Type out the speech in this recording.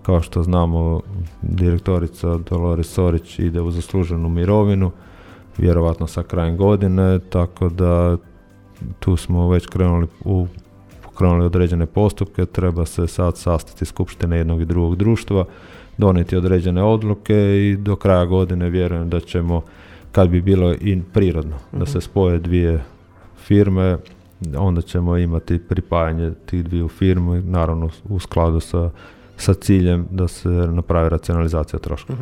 kao što znamo, direktorica Dolores Sorić ide u zasluženu mirovinu, vjerovatno sa krajem godine, tako da tu smo već krenuli određene postupke, treba se sad sastati skupštine jednog i drugog društva, donijeti određene odluke i do kraja godine vjerujem da ćemo, kad bi bilo i prirodno, da se spoje dvije firme, onda ćemo imati pripajanje tih dviju firmi, naravno u skladu sa ciljem da se napravi racionalizacija troškova.